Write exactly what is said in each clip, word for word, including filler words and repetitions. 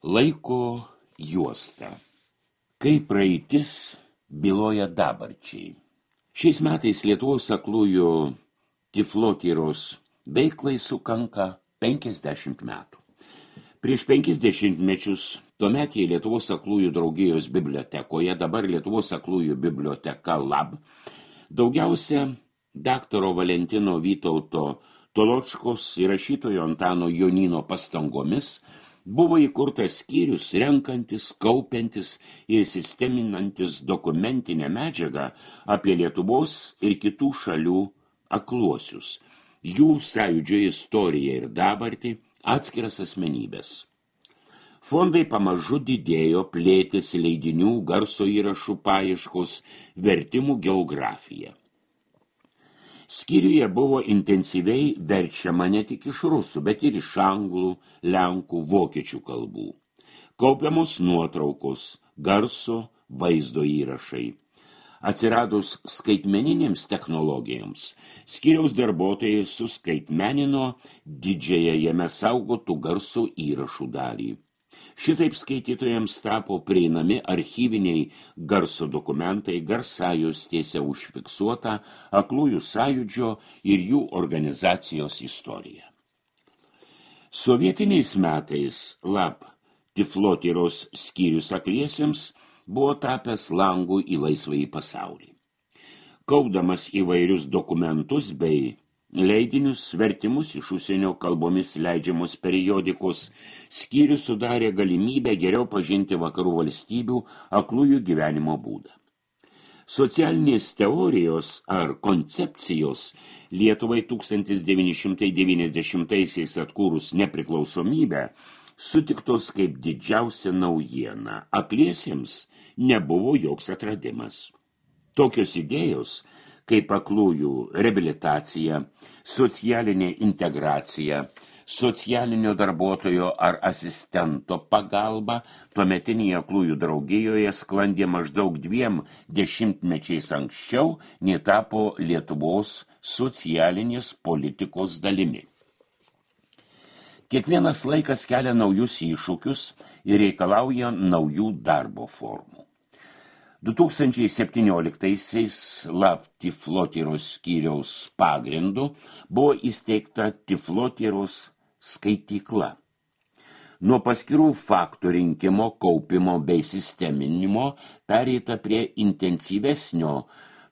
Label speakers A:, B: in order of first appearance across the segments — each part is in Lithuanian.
A: Laiko juosta. Kai praeitis byloja dabarčiai. Šiais metais Lietuvos aklųjų tiflotyros veiklai sukanka penkiasdešimt metų. Prieš penkis dešimtmečius tuometėje Lietuvos aklųjų draugijos bibliotekoje, dabar Lietuvos aklųjų biblioteka Lab, daugiausia daktaro Valentino Vytauto Toločkos ir rašytojo Antano Jonyno pastangomis buvo įkurtas skyrius renkantis, kaupiantis ir sisteminantis dokumentinę medžiagą apie Lietuvos ir kitų šalių akluosius, jų sąjūdžio istoriją ir dabartį, atskiras asmenybės. Fondai pamažu didėjo, plėtėsi leidinių, garso įrašų paieškos, vertimų geografija. Skyriuje buvo intensyviai verčiama ne tik iš rusų, bet ir iš anglų, lenkų, vokiečių kalbų. Kaupiamos nuotraukos, garso, vaizdo įrašai. Atsiradus skaitmeninėms technologijoms, skyriaus darbuotojai suskaitmenino didžiąją jame saugotų garso įrašų dalį. Šitaip skaitytojams tapo prieinami archyviniai garso dokumentai, garsajuostėse užfiksuota aklųjų sąjūdžio ir jų organizacijos istorija. Sovietiniais metais Lab tiflotyros skyrius akliesiems buvo tapęs langų į laisvąjį pasaulį. Kaupdamas įvairius dokumentus bei leidinius, vertimus iš užsienio kalbomis leidžiamos periodikos, skyrius sudarė galimybę geriau pažinti vakarų valstybių aklųjų gyvenimo būdą. Socialinės teorijos ar koncepcijos Lietuvai tūkstantis devyni šimtai devyniasdešimtaisiais atkūrus nepriklausomybę sutiktos kaip didžiausia naujiena. Akliesiems nebuvo joks atradimas. Tokios idėjos kaip aklųjų reabilitacija, socialinė integracija, socialinio darbuotojo ar asistento pagalba tuometinėje aklųjų draugijoje sklandė maždaug dviem dešimtmečiais anksčiau, nei tapo Lietuvos socialinės politikos dalimi. Kiekvienas laikas kelia naujus iššūkius ir reikalauja naujų darbo formų. du tūkstančiai septynioliktaisiais Lab tiflotyros skyriaus pagrindu buvo įsteigta tiflotyros skaitykla. Nuo paskirų faktų rinkimo, kaupimo bei sisteminimo pereita prie intensyvesnio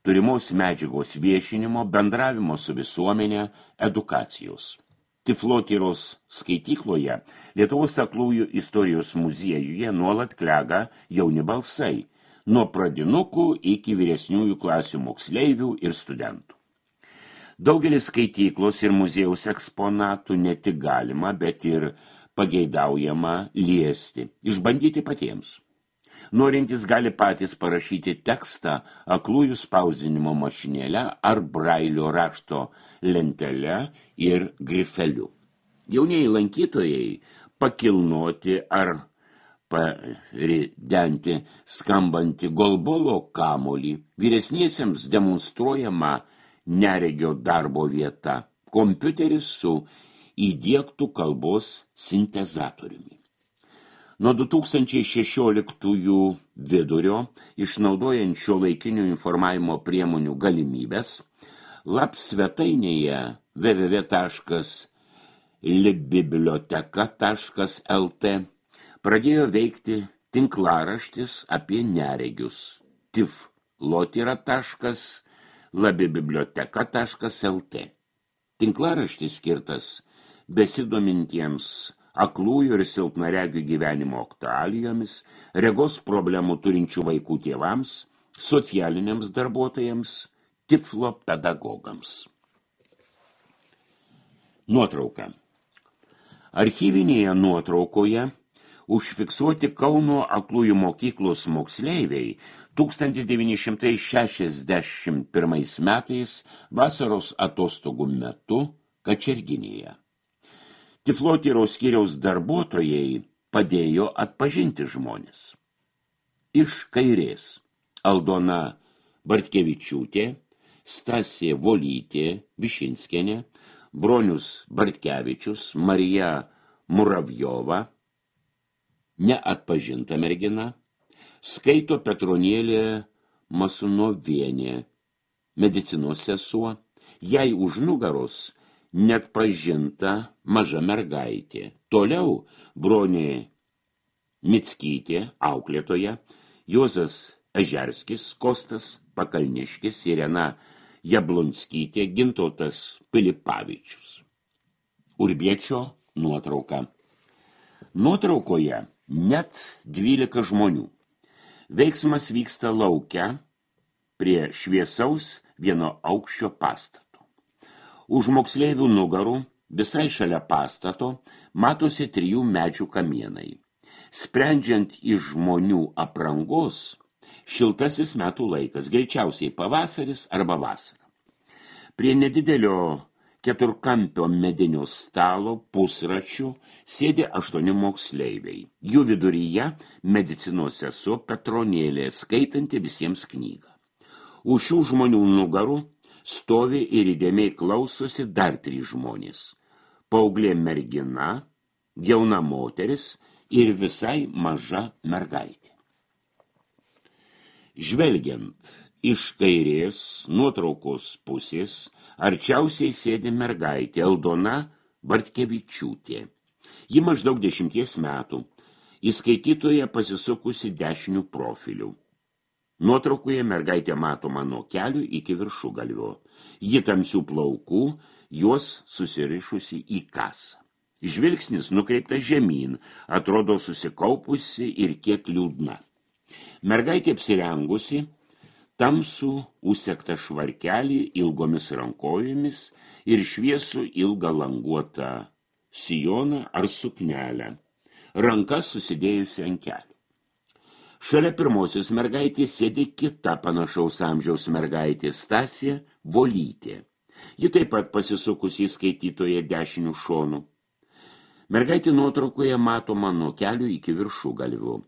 A: turimos medžiagos viešinimo, bendravimo su visuomenė, edukacijos. Tiflotyros skaitykloje Lietuvos aklųjų istorijos muziejuje nuolat klega jauni balsai, nuo pradinukų iki vyresniųjų klasių moksleivių ir studentų. Daugelis skaityklos ir muziejaus eksponatų ne tik galima, bet ir pageidaujama liesti, išbandyti patiems. Norintys gali patys parašyti tekstą aklųjų spausdinimo mašinėle ar brailio rašto lentele ir grifeliu. Jaunieji lankytojai pakilnoti ar paridenti skambantį golbolo kamolį, vyresniesiems demonstruojama neregio darbo vieta, kompiuteris su įdiegtų kalbos sintezatoriumi. Nuo du tūkstančiai šešioliktųjų vidurio, išnaudojant šiuolaikinių informavimo priemonių galimybės, Lab svetainėje w w w taškas libbiblioteka taškas l t pradėjo veikti tinklaraštis apie neregius tiflotyra taškas labbiblioteka taškas l t. Tinklaraštis skirtas besidomintiems aklųjų ir silpnaregių gyvenimo aktualijomis, regos problemų turinčių vaikų tėvams, socialiniams darbuotojams, tiflo pedagogams. Nuotrauka. Archyvinėje nuotraukoje užfiksuoti Kauno aklųjų mokyklos moksleiviai tūkstantis devyni šimtai šešiasdešimt pirmais metais vasaros atostogų metu Kačerginėje. Tiflotyros skyriaus darbuotojai padėjo atpažinti žmones. Iš kairės Aldona Bartkevičiūtė, Stasė Volytė Višinskienė, Bronius Bartkevičius, Marija Muravjova, neatpažinta mergina, skaito Petronėlė Masunovienė, medicinos sesuo, jai už nugaros net pažinta maža mergaitė. Toliau Bronė Mickytė, auklėtoja, Juozas Ežerskis, Kostas Pakalniškis, Irena Jablonskytė, Gintautas Pilipavičius. Urbiečio nuotrauka. Nuotraukoje net dvylika žmonių. Veiksmas vyksta lauke prie šviesaus vieno aukščio pastato. Už moksleivių nugarų, visai šalia pastato, matosi trijų medžių kamienai. Sprendžiant iš žmonių aprangos, šiltasis metų laikas, greičiausiai pavasaris arba vasara. Prie nedidelio keturkampio medinio stalo pusračių sėdi aštuoni moksleiviai. Jų viduryje medicinos sesuo Petronėlė, skaitanti visiems knygą. Už šių žmonių nugarų stovi ir įdėmiai klausosi dar trys žmonės. Paauglė mergina, jauna moteris ir visai maža mergaitė. Žvelgiant iš kairės nuotraukos pusės, arčiausiai sėdi mergaitė Aldona Bartkevičiūtė. Ji maždaug dešimties metų, į skaitytoją pasisukusi dešinių profilių. Nuotraukoje mergaitė matoma nuo kelių iki viršugalvio. Ji tamsių plaukų, juos susirišusi į kasą. Žvilgsnis nukreiptas žemyn, atrodo susikaupusi ir kiek liūdna. Mergaitė apsirengusi tamsų užsektą švarkelį ilgomis rankovėmis ir šviesų ilgą languotą sijoną ar suknelę, rankas susidėjusi ant kelių. Šalia pirmosios mergaitės sėdi kita panašaus amžiaus mergaitė Stasė Volytė. Ji taip pat pasisukusi į skaitytoją dešinių šonų. Mergaitė nuotraukoje matoma nuo kelių iki viršugalvių.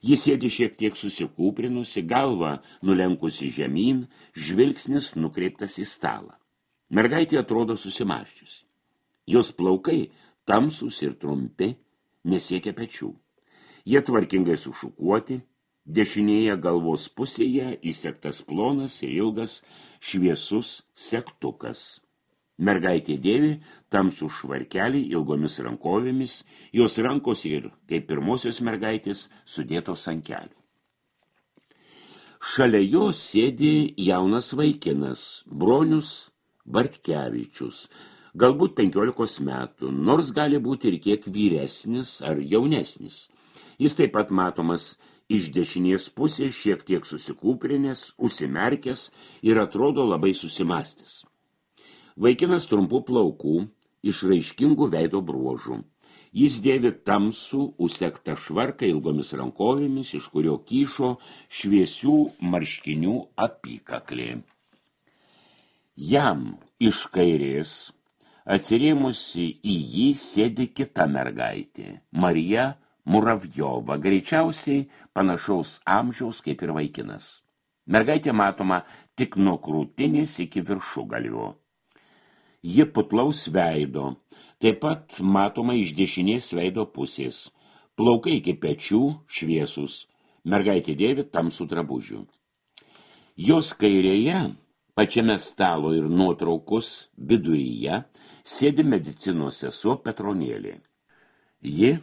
A: Ji sėdi šiek tiek susikūprinusi, galva nulenkusi žemyn, žvilgsnis nukreiptas į stalą. Mergaitė atrodo susimąsčiusi. Jos plaukai tamsūs ir trumpi, nesiekia pečių. Jie tvarkingai sušukuoti, dešinėje galvos pusėje įsegtas plonas ir ilgas šviesus segtukas. Mergaitė dėvi tamsų švarkelį ilgomis rankovėmis, jos rankos ir, kaip pirmosios mergaitės, sudėtos ant kelių. Šalia jos sėdi jaunas vaikinas, Bronius Bartkevičius, galbūt penkiolikos metų, nors gali būti ir kiek vyresnis ar jaunesnis. Jis taip pat matomas iš dešinės pusės, šiek tiek susikūprinės, užsimerkęs ir atrodo labai susimąstęs. Vaikinas trumpų plaukų, išraiškingų veido bruožų. Jis dėvi tamsų, užsektą švarką ilgomis rankovėmis, iš kurio kyšo šviesių marškinių apykaklė. Jam iš kairės, atsirėmusi į jį, sėdi kita mergaitė, Marija Muravjova, greičiausiai panašaus amžiaus kaip ir vaikinas. Mergaitė matoma tik nuo krūtinės iki viršugalvio. Ji putlaus veido, taip pat matoma iš dešinės veido pusės. Plaukai iki pečių šviesus, mergaitė dėvi tamsų drabužių. Jos kairėje, pačiame stalo ir nuotraukos viduryje, sėdi medicinos sesuo Petronėlė. Ji,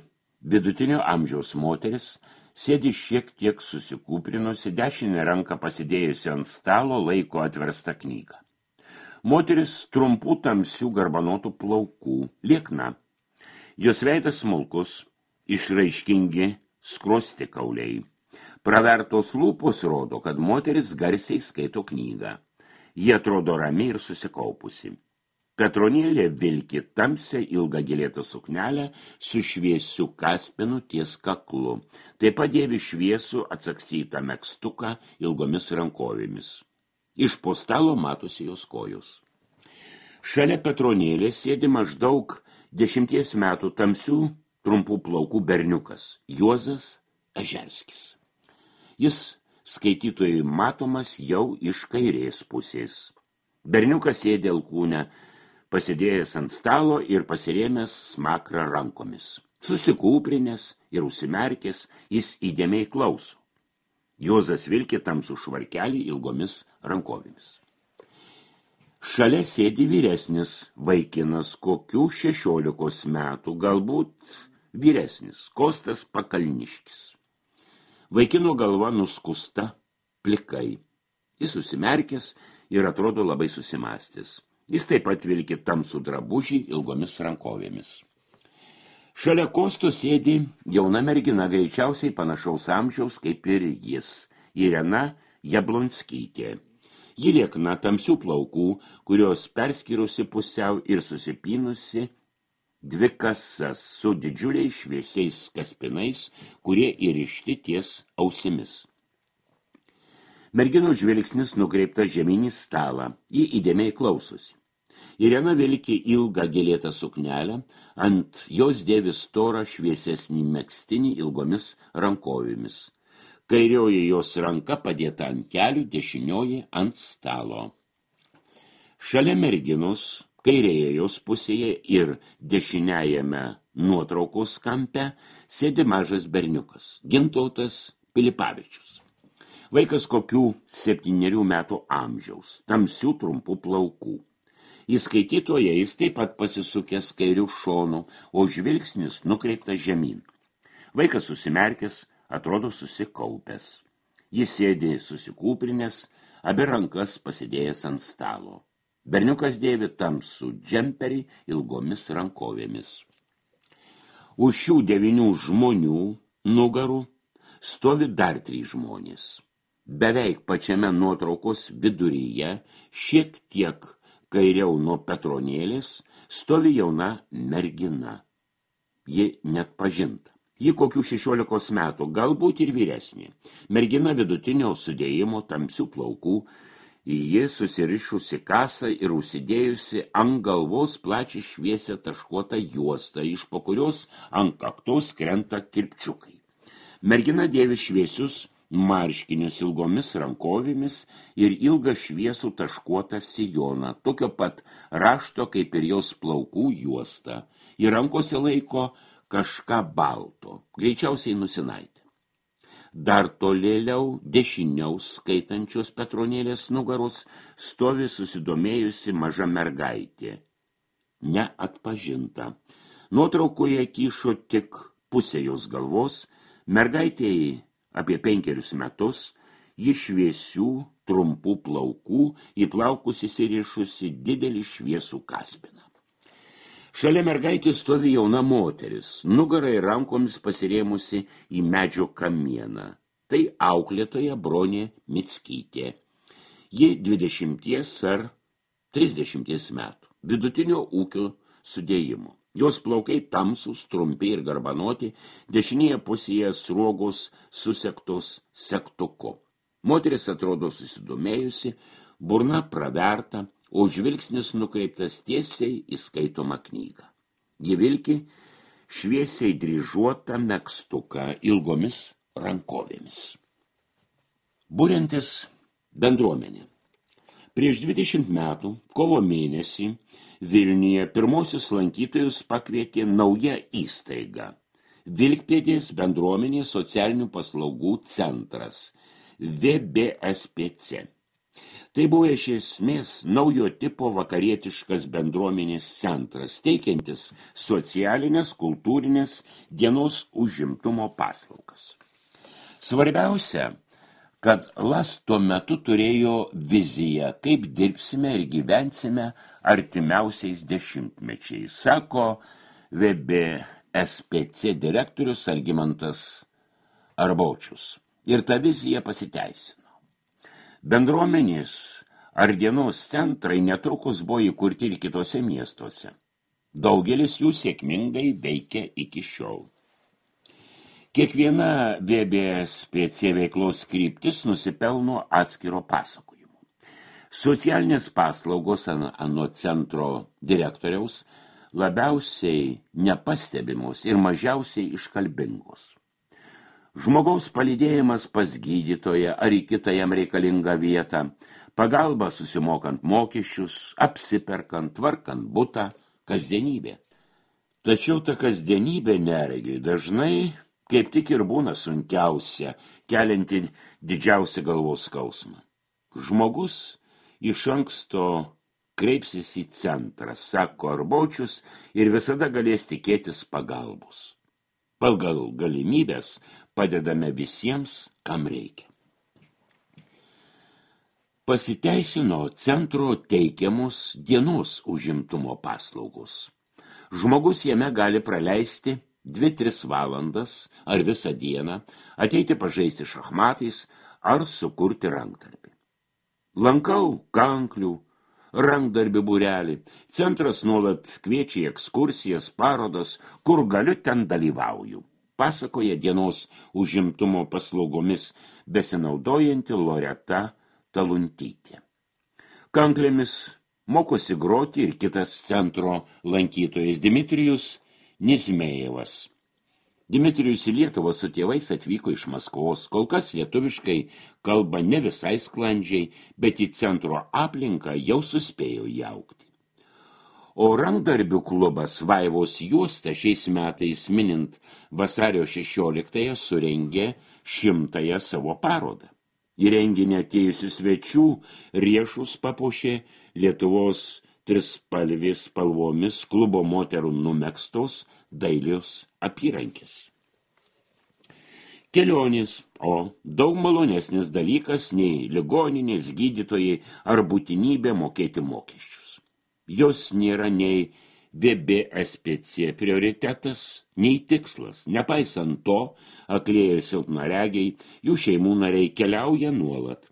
A: vidutinio amžiaus moteris, sėdi šiek tiek susikūprinusi, dešinę ranką pasidėjusi ant stalo, laiko atverstą knygą. Moteris trumpų tamsių garbanotų plaukų, liekna. Jos veidas smulkus, išraiškingi skruosti kauliai. Pravertos lūpos rodo, kad moteris garsiai skaito knygą. Ji atrodo rami ir susikaupusi. Petronėlė vilki tamsią ilgą gėlėtą suknelę su šviesiu kaspinu ties kaklu. Taip pat dėvi šviesų atsakstytą megztuką ilgomis rankovėmis. Iš po stalo matosi jos kojos. Šalia Petronėlės sėdi maždaug dešimties metų tamsių trumpų plaukų berniukas, Juozas Ežerskis. Jis skaitytojui matomas jau iš kairės pusės. Berniukas sėdi alkūne, pasidėjęs ant stalo ir pasirėmęs smakrą rankomis. Susikūprinęs ir užsimerkęs, jis įdėmiai klauso. Juozas vilkė tamsų švarkelį ilgomis rankovėmis. Šalia sėdi vyresnis vaikinas, kokių šešiolikos metų, galbūt vyresnis, Kostas Pakalniškis. Vaikino galva nuskusta plikai. Jis susimerkęs ir atrodo labai susimąstęs. Jis taip pat vilkė tamsų drabužį ilgomis rankovėmis. Šalia Kosto sėdi jauna mergina, greičiausiai panašaus amžiaus kaip ir jis, Irena Jablonskytė. Ji liekna tamsių plaukų, kurios perskyrusi pusiau ir susipynusi dvi kasas su didžiuliais šviesiais kaspinais, kurie įrišti ties ausimis. Merginos žvilgsnis nukreiptas žemyn į stalą, ji įdėmiai klausosi. Irena vilki ilgą gėlėtą suknelę, ant jos dėvi storą šviesesnį megztinį ilgomis rankovėmis. Kairioji jos ranka padėta ant kelių, dešinioji ant stalo. Šalia merginos, kairėje jos pusėje ir dešiniajame nuotraukos kampe sėdi mažas berniukas, Gintautas Pilipavičius. Vaikas kokių septynerių metų amžiaus, tamsių trumpų plaukų. Į skaitytoją jis taip pat pasisukęs kairių šonų, o žvilgsnis nukreiptas žemyn. Vaikas susimerkęs, atrodo susikaupęs. Jis sėdi susikūprinęs, abi rankas pasidėjęs ant stalo. Berniukas dėvi tamsų džemperį ilgomis rankovėmis. Už šių devynių žmonių nugarų stovi dar trys žmonės. Beveik pačiame nuotraukos viduryje, šiek tiek kairiau nuo Petronėlės, stovi jauna mergina. Ji net pažinta. Ji kokių šešiolikos metų, galbūt ir vyresnė. Mergina vidutinio sudėjimo tamsių plaukų, ji susirišusi kasą ir užsidėjusi ant galvos plačiai šviesią taškuotą juostą, iš po kurios ant kaktos krenta kirpčiukai. Mergina dėvi šviesius marškinius ilgomis rankovėmis ir ilgą šviesų taškuotą sijoną, tokio pat rašto kaip ir jos plaukų juosta. Į rankose laiko kažką balto, greičiausiai nusinaitę. Dar tolėliau, dešiniau skaitančios Petronėlės nugaros, stovi susidomėjusi maža mergaitė. Neatpažinta. Nuotraukoje kyšo tik pusė jos galvos, mergaitėjai apie penkerius metus, ji šviesių, trumpų plaukų, į plaukus įsirišusi didelį šviesų kaspiną. Šalia mergaitės stovi jauna moteris, nugarai rankomis pasirėmusi į medžio kamieną. Tai auklėtoja Bronė Mickytė. Ji dvidešimties ar trisdešimties metų, vidutinio ūkio sudėjimo. Jos plaukai tamsūs, trumpi ir garbanoti, dešinėje pusėje sruogos susektos segtuku. Moteris atrodo susidomėjusi, burna praverta, o žvilgsnis nukreiptas tiesiai į skaitomą knygą. Ji vilki šviesiai dryžuotą megztuką ilgomis rankovėmis. Buriantis bendruomenė. Prieš dvidešimt metų, kovo mėnesį, Vilniuje pirmosius lankytojus pakvietė nauja įstaiga – Vilkpėdės bendruomenės socialinių paslaugų centras – V B S P C. Tai buvo iš esmės naujo tipo vakarietiškas bendruomenės centras, teikiantis socialinės, kultūrinės, dienos užimtumo paslaugas. Svarbiausia, kad Las tuo metu turėjo viziją, kaip dirbsime ir gyvensime artimiausiais dešimtmečiais, sako V B S P C direktorius Algimantas Arbočius. Ir ta vizija pasiteisino. Bendruomenės ar dienos centrai netrukus buvo įkurti ir kitose miestuose. Daugelis jų sėkmingai veikia iki šiol. Kiekviena V B S P C veiklos kryptis nusipelno atskiro pasakojimo. Socialinės paslaugos anot centro direktoriaus labiausiai nepastebimos ir mažiausiai iškalbingos. Žmogaus palydėjimas pas gydytoją ar į kitą jam reikalingą vietą, pagalba susimokant mokesčius, apsiperkant, tvarkant butą, kasdienybė. Tačiau ta kasdienybė neregiui dažnai kaip tik ir būna sunkiausia, kelianti didžiausią galvos skausmą. Žmogus iš anksto kreipsis į centrą, sako Arbočius, ir visada galės tikėtis pagalbos. Pagal galimybės padedame visiems, kam reikia. Pasiteisino centro teikiamos dienos užimtumo paslaugos. Žmogus jame gali praleisti dvi tris valandas ar visą dieną, ateiti pažaisti šachmatais ar sukurti rankdarbį. Lankau kanklių, rankdarbių būrelį. Centras nuolat kviečia į ekskursijas, parodas, kur galiu, ten dalyvauju. Pasakoja dienos užimtumo paslaugomis besinaudojanti Loreta Taluntytė. Kanklėmis mokosi groti ir kitas centro lankytojas Dmitrijus Nizmejevas. Dmitrijus į Lietuvą su tėvais atvyko iš Maskvos, kol kas lietuviškai kalba ne visai sklandžiai, bet į centro aplinką jau suspėjo įaugti. O rankdarbių klubas Vaivos juosta šiais metais minint vasario šešioliktąją surengė šimtąją savo parodą. Į renginį atėjusių svečių riešus papuošė Lietuvos trispalvės spalvomis klubo moterų numegztos dailios apyrankės. Kelionės, o daug malonesnis dalykas nei ligoninės, gydytojai ar būtinybė mokėti mokesčius. Jos nėra nei V B S P C prioritetas, nei tikslas. Nepaisant to, aklieji ir silpnaregiai, jų šeimų nariai keliauja nuolat.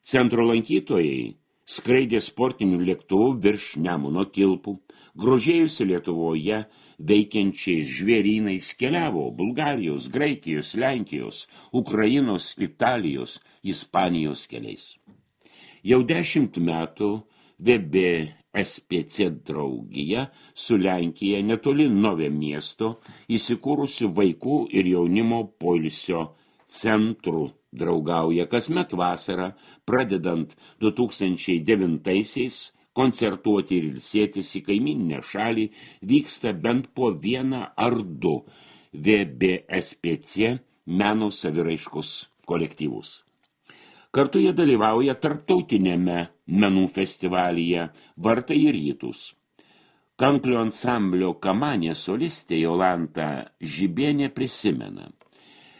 A: Centro lankytojai skraidė sportinių lėktuvų virš Nemuno kilpų, grožėjusi Lietuvoje veikiančiais žvėrynais, keliavo Bulgarijos, Graikijos, Lenkijos, Ukrainos, Italijos, Ispanijos keliais. Jau dešimt metų V B S P C draugija su Lenkija netoli Novė miesto įsikūrusių vaikų ir jaunimo poilsio centrų draugauja kasmet vasarą, pradedant du tūkstančiai devintaisiais, koncertuoti ir ilsėtis į kaimyninę šalį vyksta bent po vieną ar du V B S P C meno saviraiškos kolektyvus. Kartu jie dalyvauja tarptautinėme menų festivalyje Vartai į rytus. Kanklių ansamblio kamanė solistė Jolanta Žibienė prisimena.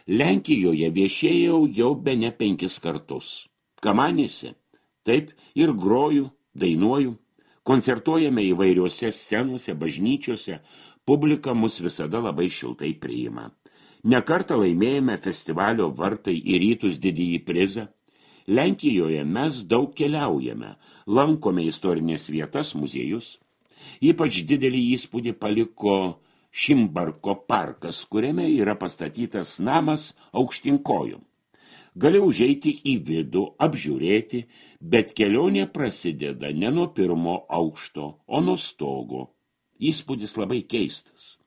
A: Lenkijoje viešėjau jau bene penkis kartus. Kamanėse taip ir groju, dainuoju, koncertuojame įvairiuose scenose, bažnyčiose, publika mus visada labai šiltai priima. Nekartą laimėjome festivalio Vartai į rytus didįjį prizą. Lenkijoje mes daug keliaujame, lankome istorinės vietas, muziejus. Ypač didelį įspūdį paliko Šimbarko parkas, kuriame yra pastatytas namas aukštinkojom. Gali užeiti į vidų, apžiūrėti, bet kelionė prasideda ne nuo pirmo aukšto, o nuo stogo. Įspūdis labai keistas.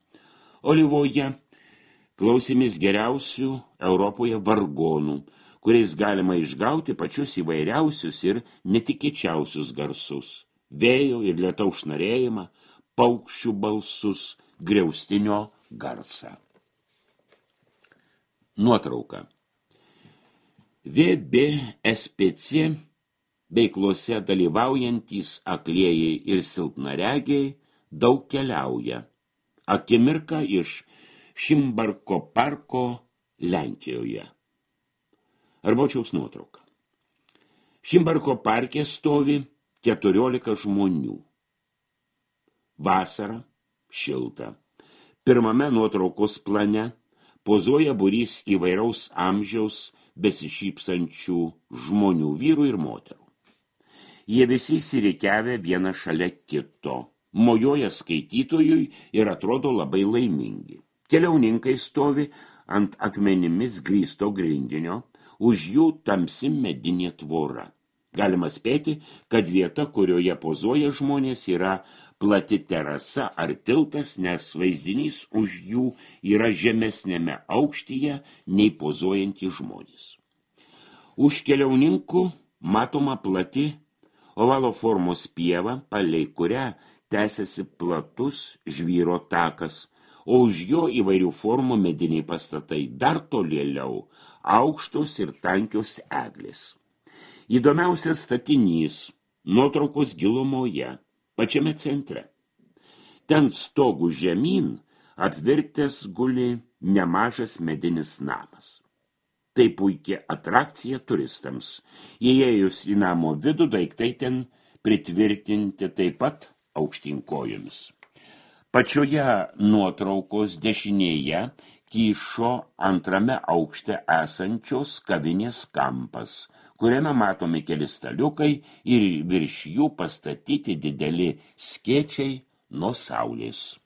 A: Olivoje klausėmės geriausių Europoje vargonų, kuriais galima išgauti pačius įvairiausius ir netikėčiausius garsus. Vėjo ir lietaus šnarėjimą, paukščių balsus, griaustinio garsą. Nuotrauka. V B S P C veiklose dalyvaujantys aklieji ir silpnaregiai daug keliauja. Akimirka iš Šimbarko parko Lenkijoje. Arbočiaus nuotrauka. Šimbarko parke stovi keturiolika žmonių. Vasara, šilta. Pirmame nuotraukos plane pozuoja būrys įvairaus amžiaus besišypsančių žmonių, vyrų ir moterų. Jie visi įsirikiavę vieną šalia kito, mojuoja skaitytojui ir atrodo labai laimingi. Keliauninkai stovi ant akmenimis grįsto grindinio, už jų tamsi medinė tvora. Galima spėti, kad vieta, kurioje pozuoja žmonės, yra plati terasa ar tiltas, nes vaizdinys už jų yra žemesnėme aukštyje nei pozuojantys žmonės. Už keliauninkų matoma plati ovalo formos pieva, palei kurią tęsiasi platus žvyro takas, o už jo įvairių formų mediniai pastatai, dar tolėliau aukštos ir tankios eglės. Įdomiausias statinys nuotraukos gilumoje, pačiame centre. Ten stogų žemyn apvirtęs guli nemažas medinis namas. Tai puikia atrakcija turistams. Įėjus į namo vidų, daiktai ten pritvirtinti taip pat aukštinkojomis. Pačioje nuotraukos dešinėje kyšo antrame aukšte esančios kavinės kampas, kuriame matomi keli staliukai ir virš jų pastatyti dideli skėčiai nuo saulės.